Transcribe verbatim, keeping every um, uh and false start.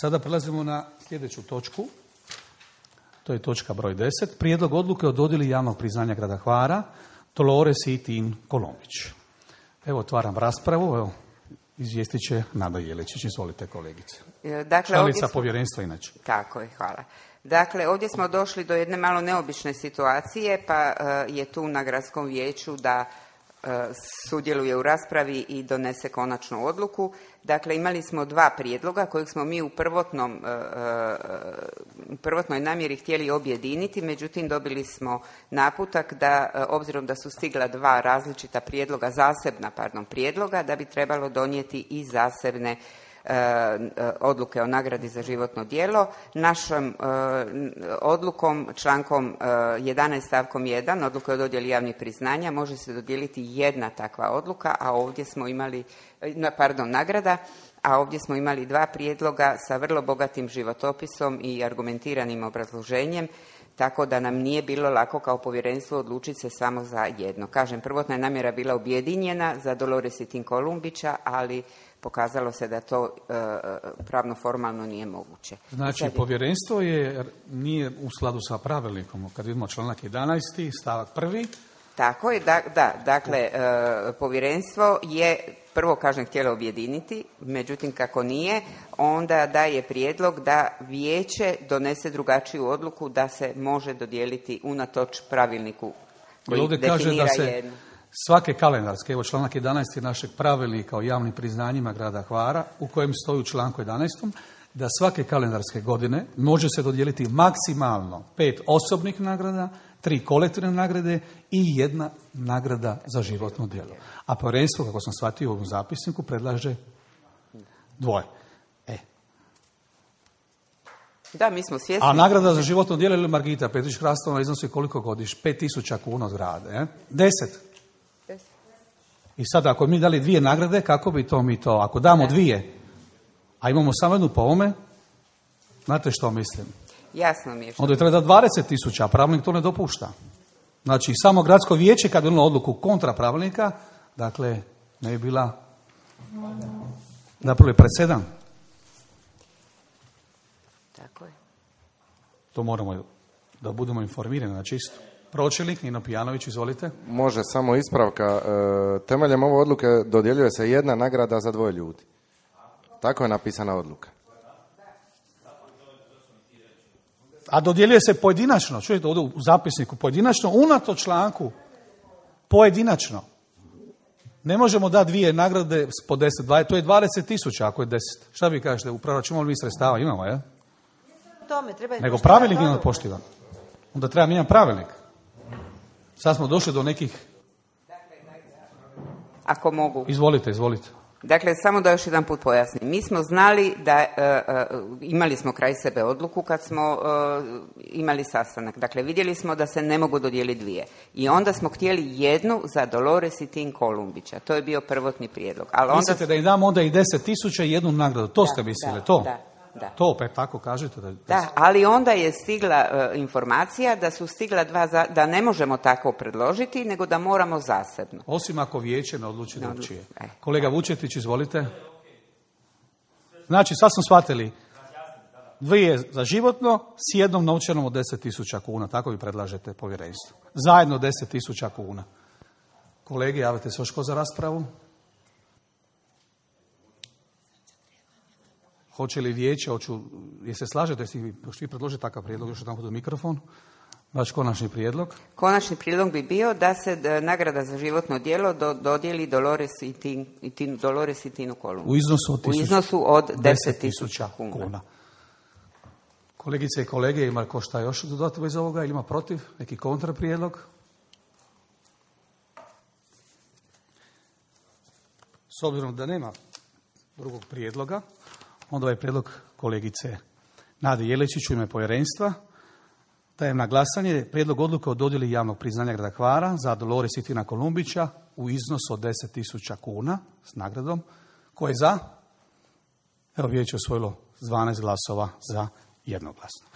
Sada prelazimo na sljedeću točku. To je točka broj deset. Prijedlog odluke o dodjeli javnog priznanja grada Hvara Dolores i Tin Kolumbić. Evo, otvaram raspravu. Evo, izvijestit će Nada Jeličić. Izvolite, kolegice. Dakle, članica smo... povjerenstva inače. Tako je, hvala. Dakle, ovdje smo došli do jedne malo neobične situacije, pa uh, je tu na gradskom vijeću da uh, sudjeluje u raspravi i donese konačnu odluku. Dakle, imali smo dva prijedloga kojeg smo mi u prvotnom, uh, prvotnoj namjeri htjeli objediniti, međutim dobili smo naputak da, uh, obzirom da su stigla dva različita prijedloga, zasebna, pardon, prijedloga, da bi trebalo donijeti i zasebne odluke o nagradi za životno djelo. Našom odlukom, člankom jedanaest stavkom jedan, odluke o dodjeli javnih priznanja, može se dodijeliti jedna takva odluka, a ovdje smo imali, pardon, nagrada, a ovdje smo imali dva prijedloga sa vrlo bogatim životopisom i argumentiranim obrazloženjem, tako da nam nije bilo lako kao povjerenstvo odlučiti se samo za jedno. Kažem, prvotna je namjera bila objedinjena za Dolores i Tin Kolumbića, ali pokazalo se da to e, pravno formalno nije moguće. Znači, je... povjerenstvo je, nije u skladu sa pravilnikom, kad vidimo članak jedanaest, stavak prvi. Tako je, da, da dakle, e, povjerenstvo je, prvo kažem, htjelo objediniti, međutim kako nije, onda daje prijedlog da vijeće donese drugačiju odluku da se može dodijeliti unatoč pravilniku koji ovdje definira kaže da se jednu. Svake kalendarske, evo članak jedanaest je našeg pravilnika o javnim priznanjima grada Hvara, u kojem stoji u članku jedanaestom da svake kalendarske godine može se dodijeliti maksimalno pet osobnih nagrada, tri kolektivne nagrade i jedna nagrada za životno djelo. A povjerenstvo, kako sam shvatio u ovom zapisniku, predlaže dvoje. E. Da, mi smo svjesni. A nagrada za životno djelo ili Margita Petrić-Hrastova iznosi koliko godiš? Pet tisuća kuna od grada. E? Deset. I sad, ako mi dali dvije nagrade, kako bi to mi to? Ako damo dvije, a imamo samo jednu po ovome, znate što mislim? Jasno mi je. Onda je treba da dvadeset tisuća, a pravilnik to ne dopušta. Znači, samo gradsko vijeće, kad je donijelo odluku kontra pravilnika, dakle, ne je bila napravili presedan. Tako je. To moramo da budemo informirani na čisto. Pročelnik Nino Pijanović, izvolite. Može, samo ispravka. E, temeljem ove odluke dodjeljuje se jedna nagrada za dvoje ljudi. Tako je napisana odluka. A dodjeljuje se pojedinačno, čujete ovdje u zapisniku, pojedinačno, unato članku, pojedinačno. Ne možemo dati dvije nagrade po deset, dvadeset, to je dvadeset tisuća ako je deset. Šta vi kažete, u proračunu mi sredstava imamo, je? Tome, treba nego pravilnik nije poštivan. Onda treba mijenjati pravilnik. Sad smo došli do nekih... Ako mogu. Izvolite, izvolite. Dakle, samo da još jedan put pojasnim. Mi smo znali da, uh, uh, imali smo kraj sebe odluku kad smo uh, imali sastanak. Dakle, vidjeli smo da se ne mogu dodijeliti dvije. I onda smo htjeli jednu za Dolores i Tin Kolumbića. To je bio prvotni prijedlog. Ali onda... Mislite da im damo onda i deset tisuća i jednu nagradu? To da, ste mislili, da, to? Da. Da. To opet tako kažete? Da, da, ali onda je stigla uh, informacija da su stigla dva, za, da ne možemo tako predložiti, nego da moramo zasebno. Osim ako vijeće ne odluči ne drugčije. E. Kolega Vučetić, izvolite. Znači, sad smo shvatili dvije za životno s jednom novčanom od deset tisuća kuna. Tako vi predlažete povjerenstvu. Zajedno deset tisuća kuna. Kolege, javite se još ko za raspravu? Hoće li vijeće, hoću, je se slažete, jeste vi predložiti takav prijedlog, još jedan put u mikrofon, vaš konačni prijedlog? Konačni prijedlog bi bio da se d, nagrada za životno djelo do, dodijeli Dolores i, tin, i tin, Dolores i Tinu Kolumbić. U iznosu od, tisuć, u iznosu od deset tisuća kuna. kuna. Kolegice i kolege, ima ko šta još dodati bez ovoga ili ima protiv? Neki kontraprijedlog? S obzirom da nema drugog prijedloga, onda ovaj prijedlog kolegice Nade Jeličić u ime povjerenstva dajem na glasanje prijedlog odluke o dodjeli javnog priznanja grada Hvara za Dolores i Tina Kolumbića u iznosu od deset tisuća kuna s nagradom. Ko je za? Evo, vijeće osvojilo s dvanaest glasova za jednoglasno.